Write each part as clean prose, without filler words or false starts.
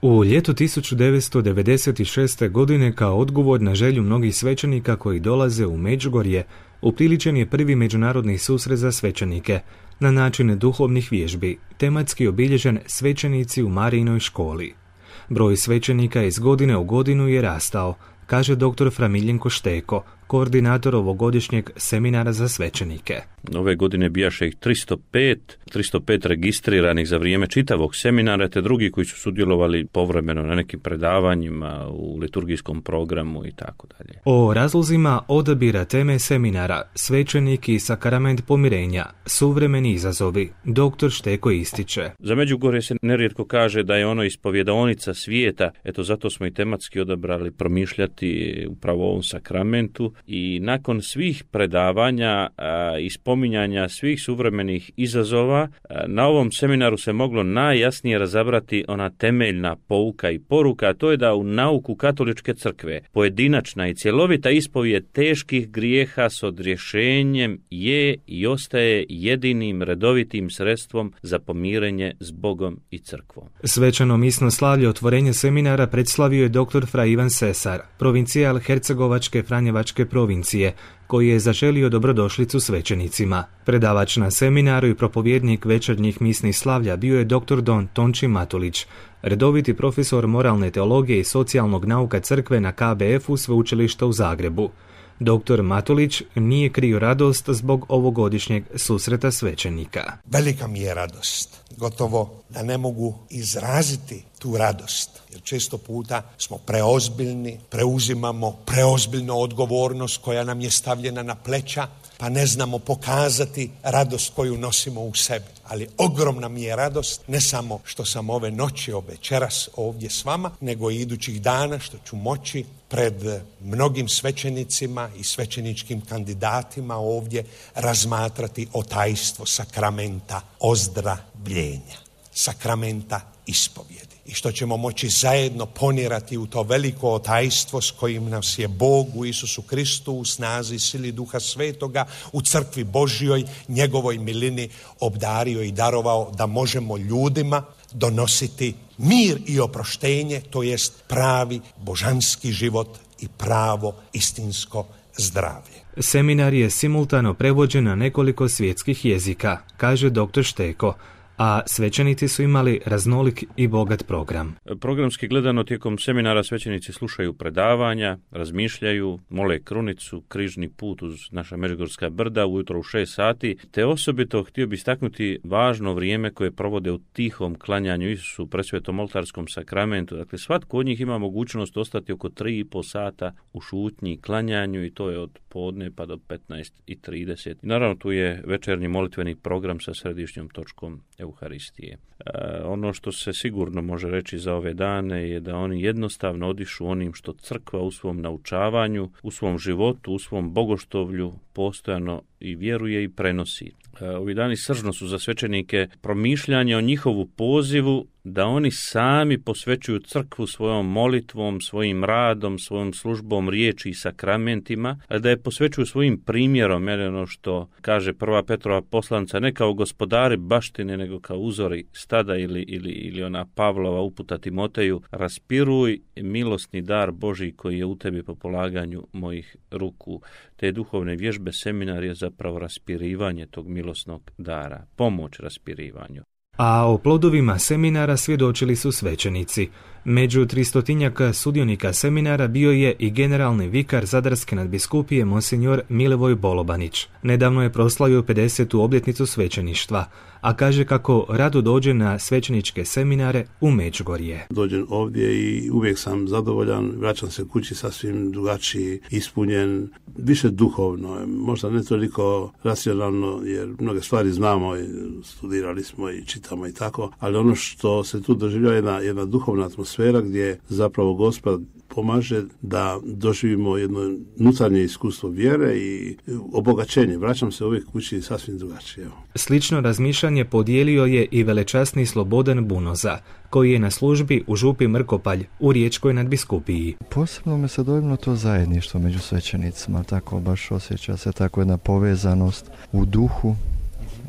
U ljetu 1996. godine, kao odgovor na želju mnogih svećenika koji dolaze u Međugorje, upriličen je prvi međunarodni susret za svećenike, na način duhovnih vježbi, tematski obilježen svećenici u Marijinoj školi. Broj svećenika iz godine u godinu je rastao, kaže dr. Framiljenko Šteko, koordinator ovogodišnjeg seminara za svećenike. Ove godine bijaše ih 305 registriranih za vrijeme čitavog seminara, te drugi koji su sudjelovali povremeno na nekim predavanjima, u liturgijskom programu i tako dalje. O razlozima odabira teme seminara Svećenik i sakrament pomirenja, suvremeni izazovi, dr. Šteko ističe. Za Međugorje se nerijetko kaže da je ono ispovjedaonica svijeta, eto zato smo i tematski odabrali promišljati upravo o ovom sakramentu. I nakon svih predavanja i spominjanja svih suvremenih izazova, na ovom seminaru se moglo najjasnije razabrati ona temeljna pouka i poruka, a to je da u nauku katoličke crkve pojedinačna i cjelovita ispovijed teških grijeha s odrješenjem je i ostaje jedinim redovitim sredstvom za pomirenje s Bogom i crkvom. Svečano misno slavlje otvorenja seminara predslavio je dr. Fra Ivan Sesar, provincijal Hercegovačke Franjevačke provincije, koji je zaželio dobrodošlicu svećenicima. Predavač na seminaru i propovjednik večernjih misnih slavlja bio je dr. Don Tonči Matulić, redoviti profesor moralne teologije i socijalnog nauka crkve na KBF-u Sveučilišta u Zagrebu. Dr. Matulić nije krio radost zbog ovogodišnjeg susreta svećenika. Velika mi je radost, gotovo da ne mogu izraziti tu radost, jer često puta smo preozbiljni, preuzimamo preozbiljnu odgovornost koja nam je stavljena na pleća, pa ne znamo pokazati radost koju nosimo u sebi. Ali ogromna mi je radost, ne samo što sam ove noći, večeras ovdje s vama, nego i idućih dana što ću moći pred mnogim svećenicima i svećeničkim kandidatima ovdje razmatrati o tajstvo sakramenta ozdravljenja, sakramenta ispovjedi. I što ćemo moći zajedno ponirati u to veliko tajstvo s kojim nas je Bog u Isusu Kristu u snazi sili Duha Svetoga u crkvi Božjoj, njegovoj milini obdario i darovao da možemo ljudima donositi mir i oproštenje, to jest pravi božanski život i pravo istinsko zdravlje. Seminar je simultano prevođen na nekoliko svjetskih jezika, kaže dr. Šteko, a svećenici su imali raznolik i bogat program. Programski gledano tijekom seminara svećenici slušaju predavanja, razmišljaju, mole krunicu, križni put uz naša Međugorska brda ujutro u 6 sati, te osobito htio bi istaknuti važno vrijeme koje provode u tihom klanjanju Isusu presvetom oltarskom sakramentu. Dakle, svatko od njih ima mogućnost ostati oko 3,5 sata u šutnji klanjanju i to je od podne pa do 15:30. I naravno tu je večernji molitveni program sa središnjom točkom Euharistije. Ono što se sigurno može reći za ove dane je da oni jednostavno odišu onim što crkva u svom naučavanju, u svom životu, u svom bogoštovlju postojano i vjeruje i prenosi. Ovi dani sržno su za svećenike promišljanje o njihovu pozivu da oni sami posvećuju crkvu svojom molitvom, svojim radom, svojom službom riječi i sakramentima, a da je posvećuju svojim primjerom, jer ono što kaže prva Petrova poslanca, ne kao gospodari baštine, nego kao uzori stada ili ona Pavlova uputa Timoteju, raspiruj milosni dar Božji koji je u tebi po polaganju mojih ruku. Te duhovne vježbe seminar je zapravo raspirivanje tog milosnog dara, pomoć raspirivanju. A o plodovima seminara svjedočili su svećenici. Među 300 sudionika seminara bio je i generalni vikar Zadarske nadbiskupije monsinjor Milivoj Bolobanić. Nedavno je proslavio 50. obljetnicu svećeništva, a kaže kako rado dođe na svećeničke seminare u Međugorje. Dođem ovdje i uvijek sam zadovoljan, vraćam se kući sasvim drugačiji, ispunjen, više duhovno, možda ne toliko racionalno, jer mnoge stvari znamo, studirali smo i čitamo i tako, ali ono što se tu doživljava je jedna duhovna atmosfera gdje zapravo Gospod pomaže da doživimo jedno unutarnje iskustvo vjere i obogaćenje. Vraćam se uvijek kući sasvim drugačije. Slično razmišljanje podijelio je i velečasni Slobodan Bunoza, koji je na službi u župi Mrkopalj u Riječkoj nadbiskupiji. Posebno me se dojmilo to zajedništvo među svećenicima, tako baš osjeća se tako jedna povezanost u duhu,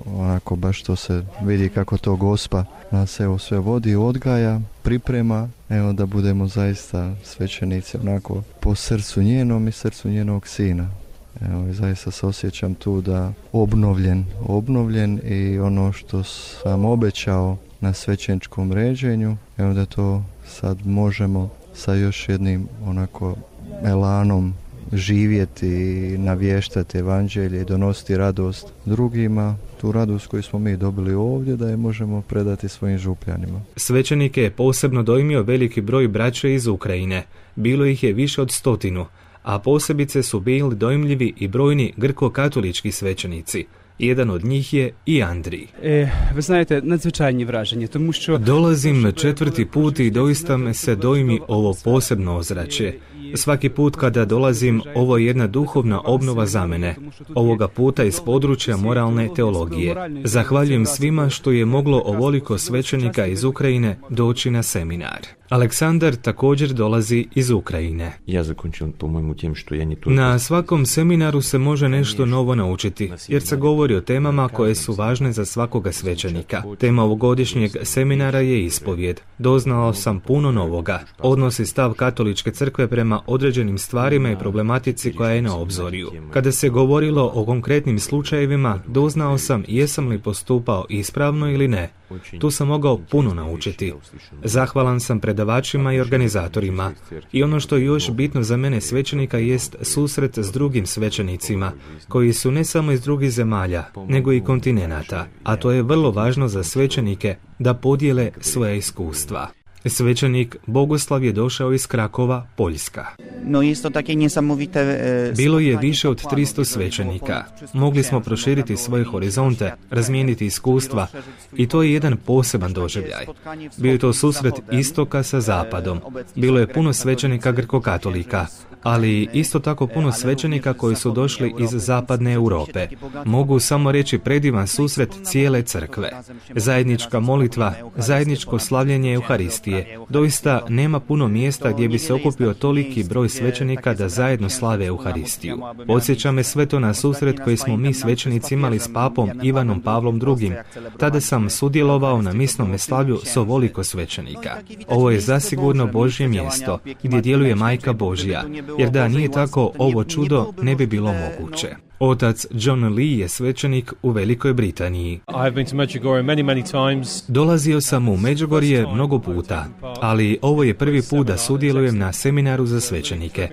onako baš to se vidi kako to Gospa nas evo sve vodi, odgaja, priprema, evo da budemo zaista svećenici onako po srcu njenom i srcu njenog sina. Evo, i zaista se osjećam tu da obnovljen i ono što sam obećao na svećeničkom ređenju, evo da to sad možemo sa još jednim onako elanom živjeti i navještati evanđelje i donositi radost drugima, tu radost koju smo mi dobili ovdje, da je možemo predati svojim župljanima. Svećenike je posebno dojmio veliki broj braće iz Ukrajine. Bilo ih je više od 100, a posebice su bili dojmljivi i brojni grko-katolički svećenici. Jedan od njih je i Andrij. Ви знаєте, надзвичайні враження, тому що... Dolazim 4. put i doista me se dojmi ovo posebno ozračje. Svaki put kada dolazim, ovo je jedna duhovna obnova za mene. Ovoga puta iz područja moralne teologije. Zahvaljujem svima što je moglo ovoliko svećenika iz Ukrajine doći na seminar. Aleksandar također dolazi iz Ukrajine. Na svakom seminaru se može nešto novo naučiti, jer se govori o temama koje su važne za svakoga svećenika. Tema ovogodišnjeg seminara je ispovjed. Doznao sam puno novoga. Odnosi stav katoličke crkve prema određenim stvarima i problematici koja je na obzorju. Kada se govorilo o konkretnim slučajevima, doznao sam jesam li postupao ispravno ili ne. Tu sam mogao puno naučiti. Zahvalan sam predavačima i organizatorima. I ono što je još bitno za mene svećenika jest susret s drugim svećenicima, koji su ne samo iz drugih zemalja, nego i kontinenata. A to je vrlo važno za svećenike da podijele svoje iskustva. Svećenik Bogoslav je došao iz Krakova, Poljska. Bilo je više od 300 svećenika. Mogli smo proširiti svoje horizonte, razmijeniti iskustva i to je jedan poseban doživljaj. Bio je to susret istoka sa zapadom. Bilo je puno svećenika grko-katolika, ali isto tako puno svećenika koji su došli iz zapadne Europe. Mogu samo reći predivan susret cijele crkve. Zajednička molitva, zajedničko slavljenje Euharistije. Doista nema puno mjesta gdje bi se okupio toliki broj svećenika da zajedno slave Euharistiju. Podsjeća me sve to na susret koji smo mi svećenici imali s papom Ivanom Pavlom II. Tada sam sudjelovao na misnome slavlju s ovoliko svećenika. Ovo je zasigurno Božje mjesto gdje djeluje Majka Božja, jer da nije tako, ovo čudo ne bi bilo moguće. Otac John Lee je svećenik u Velikoj Britaniji. Dolazio sam u Međugorje mnogo puta, ali ovo je prvi put da sudjelujem na seminaru za svećenike.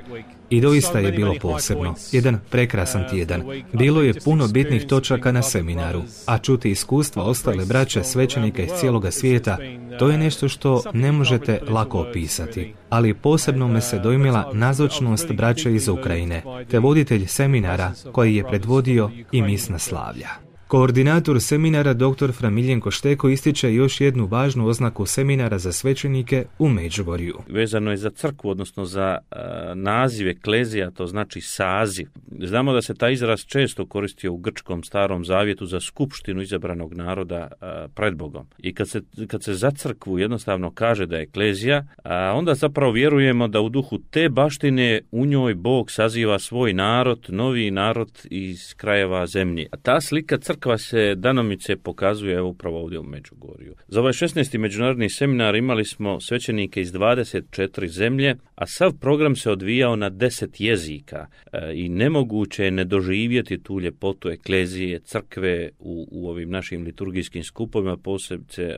I doista je bilo posebno. Jedan prekrasan tjedan. Bilo je puno bitnih točaka na seminaru, a čuti iskustva ostale braće svećenika iz cijeloga svijeta, to je nešto što ne možete lako opisati. Ali posebno me se dojmila nazočnost braće iz Ukrajine, te voditelj seminara koji je predvodio i misna slavlja. Koordinator seminara dr. Fra Miljenko Šteko ističe još jednu važnu oznaku seminara za svećenike u Međugorju. Vezano je za crkvu, odnosno za naziv eklezija, to znači saziv. Znamo da se taj izraz često koristio u grčkom starom zavjetu za skupštinu izabranog naroda pred Bogom. I kad se za crkvu jednostavno kaže da je eklezija, onda zapravo vjerujemo da u duhu te baštine u njoj Bog saziva svoj narod, novi narod iz krajeva zemlje. A ta slika crkva se danomice pokazuje upravo ovdje u Međugorju. Za ovaj 16. međunarodni seminar imali smo svećenike iz 24 zemlje, a sav program se odvijao na 10 jezika i nemoguće je ne doživjeti tu ljepotu eklezije, crkve u ovim našim liturgijskim skupovima, posebice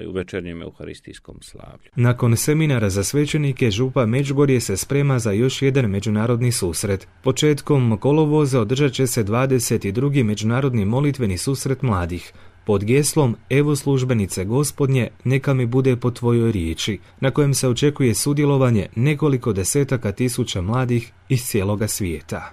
u večernjem euharistijskom slavlju. Nakon seminara za svećenike, župa Međugorje se sprema za još jedan međunarodni susret. Početkom kolovoza održat će se 22. međunarodni molitveni susret mladih pod geslom Evo službenice Gospodnje, neka mi bude po tvojoj riječi, na kojem se očekuje sudjelovanje nekoliko desetaka tisuća mladih iz cijeloga svijeta.